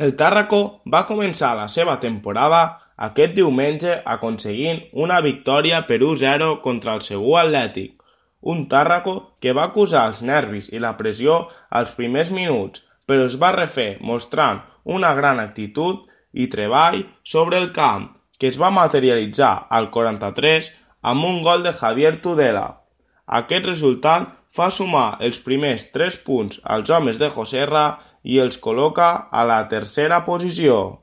El Tàrraco va començar la seva temporada aquest diumenge aconseguint una victòria per 1-0 contra el Segur Atlètic, un Tàrraco que va acusar els nervis i la pressió als primers minuts, però es va refer mostrant una gran actitud i treball sobre el camp, que es va materialitzar al 43 amb un gol de Javier Tudela. Aquest resultat fa sumar els primers 3 punts als homes de Joserra i els col·loca a la tercera posició.